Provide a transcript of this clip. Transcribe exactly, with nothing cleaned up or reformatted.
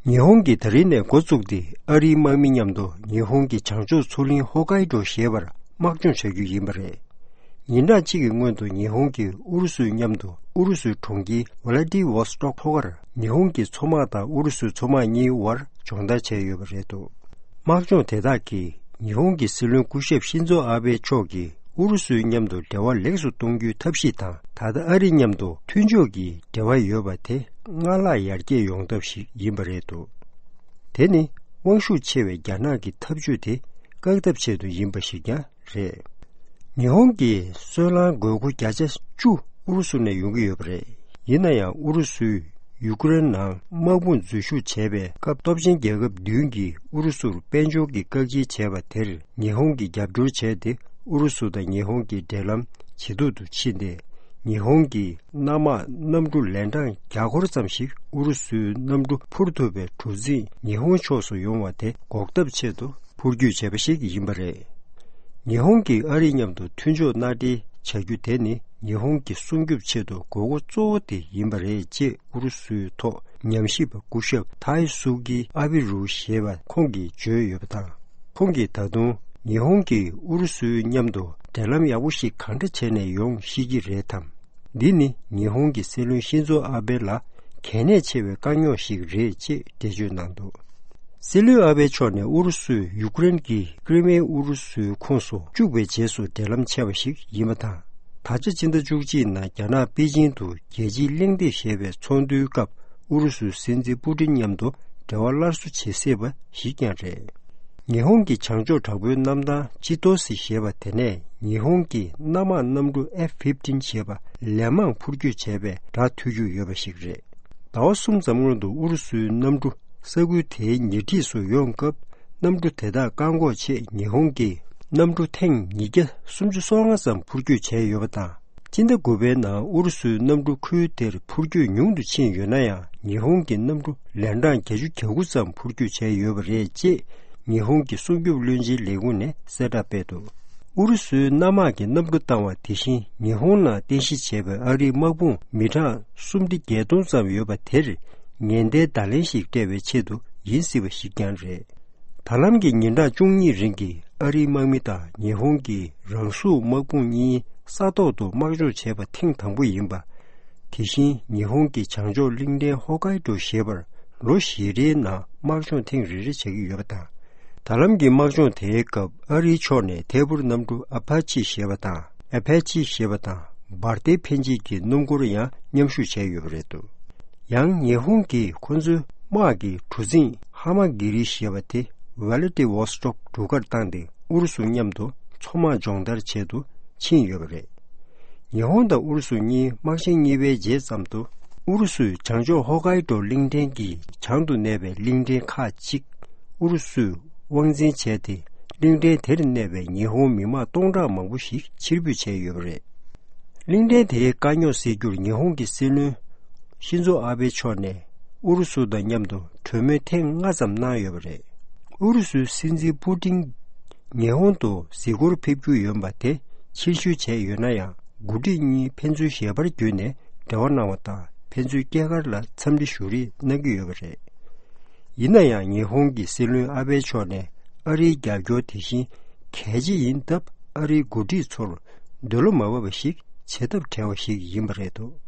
ཉི་ཧོང་གིས་ད་རིང་ནས་འགོ་བཙུགས་ཏེ་ཨ་རིའི་དམག་མི་མཉམ་དུ་ཉི་ཧོང་གི་བྱང་ཕྱོགས་མཚོ་གླིང་ཧོ་ཀའི་ཏོ་ཞེས་པར་དམག་སྦྱོང་བྱ་རྒྱུ་ཡིན་པ་རེད། ཉིན་གྲངས་གཅིག་གི་སྔོན་དུ་ཉི་ཧོང་གིས་ཨུ་རུ་སུའི་མཉམ་དུ་ཨུ་རུ་སུའི་གྲོང་ཁྱེར་ཝ་ལ་ཏི་ཝོ་སི་ཏོག་ཐོག་ཁར་ཉི་ཧོང་གི་མཚོ་དམག་དང་ཨུ་རུ་སུའི་མཚོ་དམག་གཉིས་དབར་སྦྱོང་བརྡར་བྱས་ཡོད་པ་རེད་འདུག། དམག་སྦྱོང་དེ་དག་གིས་ཉི་ཧོང་གི་སྲིད་བློན་སྐུ་ཞབས་ཤིན་ཛོ་ཨ་བྷེ་མཆོག་གིས་ཨུ་རུ་སུའི་མཉམ་དུ་འབྲེལ་བ་ལེགས་སུ་གཏོང་རྒྱུའི་ཐབས་ཤེས་དང་། ད་ལྟ་ཨ་རི་མཉམ་དུ་མཐུན་ཕྱོགས་ཀྱི་འབྲེལ་བ་ཡོད་པ་དེ་སྔར་ལྷག་ཡར་རྒྱས་ཡོང་ཐབས་ཤིག་ཡིན་པ་རེད་འདུག། དེ་ནི་དབང་ཤུགས་ཆེ་བའི་རྒྱ་ནག་གི་འཐབ་ཇུས་དེ་བཀག་ཐབས་ཆེད་དུ་ཡིན་པ་ཞིག་ཀྱང་རེད། ཉི་ཧོང་གིས་སོལ་རླངས་དགོས་མཁོ་བརྒྱ་ཆ་བཅུ་ཨུ་རུ་སུ་ནས་ཡོང་གི་ཡོད་པ་རེད། ཡིན་ན་ཡང་ཨུ་རུ་སུས་ཡུ་ཀེ་རེན་ནང་དམག་དཔུང་འཛུལ་ཞུགས་བྱས་པའི་སྐབས་སྟོབས་ཆེན་རྒྱལ་ཁབ་བདུན་གྱིས་ཨུ་རུ་སུར་དཔལ་འབྱོར་གྱི་བཀག་སྐྱིལ་བྱས་པ་དེར་ཉི་ཧོང་གིས་རྒྱབ་སྐྱོར་བྱས་ཏེ། ཨུ་རུ་སུ་དང་ཉི་ཧོང་གི་འབྲེལ་ལམ་ཇེ་སྡུག་ཏུ་ཕྱིན་ཏེ། ཉི་ཧོང་གི་གནམ་དམག་གནམ་གྲུ་ལན་གྲངས་བརྒྱ་སྐོར་ཙམ་ཞིག་ཨུ་རུ་སུའི་གནམ་གྲུ་འཕུར་ཐུབ་པའི་གྲུ་གཟིངས་ཉི་ཧོང་ཕྱོགས་སུ་ཡོང་བ་དེ་འགོག་ཐབས་ཆེད་དུ་འཕུར་སྐྱོད་བྱས་པ་ཞིག་ཡིན་པ་རེད། ཉི་ཧོང་གིས་ཨ་རི་མཉམ་དུ་མཐུན་ཕྱོགས་མནའ་འབྲེལ་བྱ་རྒྱུ་དེ་ནི་ཉི་ཧོང་གི་སྲུང་སྐྱོབ་ཆེད་དུ་དགོས་མཁོ་གཙོ་བོ་དེ་ཡིན་པ་རེད་ཅེས་ཨུ་རུ་སུའི་ཐོག་ཉམས་ཞིབ་པ་སྐུ་ཞབས་ཐའི་སུ་ཀི་ཨ་བི་རུ་ཞེས་པ་ཁོང་གིས་བརྗོད་ཡོད་པ་དང་། ཁོང་གིས་ད་དུང་ཉི་ཧོང་གིས་ཨུ་རུ་སུའི་མཉམ་དུ་འབྲེལ་ལམ་ཡག་པོ་ཞིག་གང་འདྲ་བྱས་ནས་ཡོང་ཤེས་ཀྱི་རེད་དམ། འདི་ནི་ཉི་ཧོང་གི་སྲིད་བློན་ཤིན་ཛོ་ཨ་བྷེ་ལ་གལ་གནད་ཆེ་བའི་དཀའ་རྙོག་ཞིག་རེད་ཅེས་འགྲེལ་བརྗོད་གནང་འདུག། སྲིད་བློན་ཨ་བྷེ་མཆོག་ནས་ཨུ་རུ་སུས་ཡུ་ཀེ་རེན་གྱི་ཀྲི་མེ་ཨུ་རུ་སུའི་ཁོངས་སུ་བཅུག་པའི་རྗེས་སུ་འབྲེལ་ལམ་ཆད་པ་ཞིག་ཡིན་པ་དང་། ད་ཆ་ཕྱི་ཟླ་བཅུ་གཅིག་ནང་རྒྱ་ནག་པེ་ཅིང་དུ་རྒྱལ་སྤྱིའི་གླེང་སྟེགས་ཞེས་པའི་ཚོགས་འདུའི་སྐབས་ཨུ་རུ་སུའི་སྲིད་འཛིན་པུ་ཏིན་མཉམ་དུ་འབྲེལ་བ་སླར་གསོ་བྱེད་སྲིད་པ་ཞིག་ཀྱང་རེད། ཉི་ཧོང་གི་བྱང་ཕྱོགས་དྲག་པོའི་གནམ་ཐང་ཅི་ཏོ་སི་ཞེས་པ་དེ་ནས་ཉི་ཧོང་གི་གནམ་དམག་གནམ་གྲུ་ཨེཕ་ཕིབ་ཊིན་ཞེས་པ་ལན་མང་འཕུར་སྐྱོད་བྱས་པའི་སྒྲ་ཐོས་རྒྱུ་ཡོད་པ་ཞིག་རེད། ཟླ་བ་གསུམ་ཙམ་སྔོན་དུ་ཨུ་རུ་སུའི་གནམ་གྲུ་ས་ཁུལ་དེའི་ཉེ་འཁྲིས་སུ་ཡོང་སྐབས། གནམ་གྲུ་དེ་དག་བཀག་འགོག་ཆེད་ཉི་ཧོང་གིས་གནམ་གྲུ་ཐེངས་ཉིས་བརྒྱ་སུམ་ཅུ་སོ་ལྔ་ཙམ་འཕུར་སྐྱོད་བྱས་ཡོད་པ་དང་། སྤྱི་ཟླ་དགུ་པའི་ནང་ཨུ་རུ་སུའི་གནམ་གྲུ་ཁུལ་དེར་འཕུར་སྐྱོད་ཉུང་དུ་ཕྱིན་ཡོད་ན་ཡང་། ཉི་ཧོང་གི་གནམ་གྲུ་ལན་གྲངས་བརྒྱད་ཅུ་གྱ་དགུ་ཙམ་འཕུར་སྐྱོད་བྱས་ཡོད་པ་རེད་ཅེས་ཉི་ཧོང་གི་སྲུང་སྐྱོབ་བློན་ཆེན་ལས་ཁུངས་ནས་གསལ་བསྒྲགས་སྤེལ་འདུག། ཨུ་རུ་སུའི་གནམ་དམག་གིས་གནམ་གྲུ་བཏང་བ་དེ་བཞིན་ཉི་ཧོང་ནང་རྟེན་གཞི་བྱས་པའི་ཨ་རིའི་དམག་དཔུང་མི་གྲངས་སུམ་ཁྲི་བརྒྱད་སྟོང་ཙམ་ཡོད་པ་དེར་ཉེན་བརྡའི་བརྡ་ལན་ཞིག་སྤྲད་པའི་ཆེད་དུ་ཡིན་སྲིད་པ་ཞིག་ཀྱང་རེད། ད་ལམ་གྱི་ཉིན་གྲངས་བཅུ་གཉིས་རིང་གི་ཨ་རིའི་དམག་མི་དང་ཉི་ཧོང་གི་རང་སྲུང་དམག་དཔུང་གཉིས་ས་ཐོག་ཏུ་དམག་སྦྱོང་བྱས་པ་ཐེངས་དང་པོ་ཡིན་པ། དེ་བཞིན་ཉི་ཧོང་གི་བྱང་ཕྱོགས་གླིང་ཕྲན་ཧོ་ཀའི་ཏོ་ཞེས་པར་ལོ་བཞི་རེའི་ནང་དམག་སྦྱོང་ཐེངས་རེ་རེ་བྱེད་ཀྱི་ཡོད་པ་དང་། ད་ལམ་གྱི་དམག་སྦྱོང་དེའི་སྐབས་ཨ་རིའི་ཕྱོགས་ནས་ཐད་འཕུར་གནམ་གྲུ་ཨ་ཕ་ཆི་ཞེས་པ་དང་། ཨ་ཕ་ཆི་ཞེས་པ་དང་འབར་མདེལ་འཕེན་བྱེད་ཀྱི་སྣུམ་འཁོར་ཡང་མཉམ་ཞུགས་བྱས་ཡོད་པ་རེད་འདུག། ཡང་ཉི་ཧོང་གིས་ཁོ་ཚོའི་དམག་གི་གྲུ་གཟིངས་ཧ་མ་གི་རི་ཞེས་པ་དེ་ཝེ་ལ་ཏི་ཝོ་སི་ཏོག་གྲུ་ཁར་བཏང་སྟེ་ཨུ་རུ་སུ་མཉམ་དུ་མཚོ་དམག་སྦྱོང་བརྡར་བྱེད་དུ་ཕྱིན་ཡོད་པ་རེད། ཉི་ཧོང་དང་ཨུ་རུ་སུ་གཉིས་དམག་ཆེན་གཉིས་པའི་རྗེས་ཙམ་དུ་ཨུ་རུ་སུས་བྱང་ཕྱོགས་ཧོ་ཀའི་ཏོ་གླིང་ཕྲན་གྱི་བྱང་དུ་གནས་པའི་གླིང་ཕྲན་ཁག་ཅིག་ཨུ་རུ་སུས་དབང་འཛིན་བྱས་ཏེ། གླིང་ཕྲན་དེར་གནས་པའི་ཉི་ཧོང་མི་དམངས་སྟོང་ཕྲག་མང་པོ་ཞིག་ཕྱིར་འབུད་བྱས་ཡོད་པ་རེད། གླིང་ཕྲན་དེའི་དཀའ་རྙོག་སེལ་རྒྱུར་ཉི་ཧོང་གི་སྲིད་བློན་ཤིན་ཛོ་ཨ་བྷེ་མཆོག་ནས་ཨུ་རུ་སུ་དང་མཉམ་དུ་གྲོས་མོལ་ཐེངས་ལྔ་ཙམ་གནང་ཡོད་པ་རེད། ཨུ་རུ་སུའི་སྲིད་འཛིན་པུ་ཏིན་ཉི་ཧོང་དུ་གཟིགས་སྐོར་ཕེབས་རྒྱུ་ཡོད་པ་དེ་ཕྱིར་བཤོལ་བྱས་ཡོད་ན་ཡང་། འགོ་ཁྲིད་གཉིས་ཕན་ཚུན་ཞལ་པར་བརྒྱུད་ནས་འབྲེལ་བ་གནང་བ་དང་། ཕན་ཚུན་སྐྱེས་སྐར་ལ་འཚམས་འདྲི་ཞུ་རེས་གནང་གི་ཡོད་པ་རེད། ཡིན་ན་ཡང་ཉི་ཧོང་གི་སྲིད་བློན་ཨ་བྷེ་མཆོག་ནས་ཨ་རིའི་རྒྱབ་སྐྱོར་དེ་བཞིན་གལ་ཆེ་ཡིན་སྟབས། ཨ་རིའི་འགོ་ཁྲིད་ཚོར་འདོད་བློ་མ་བབས་པ་ཞིག་བྱེད་ཐབས་བྲལ་བ་ཞིག་ཡིན་པ་རེད་འདུག།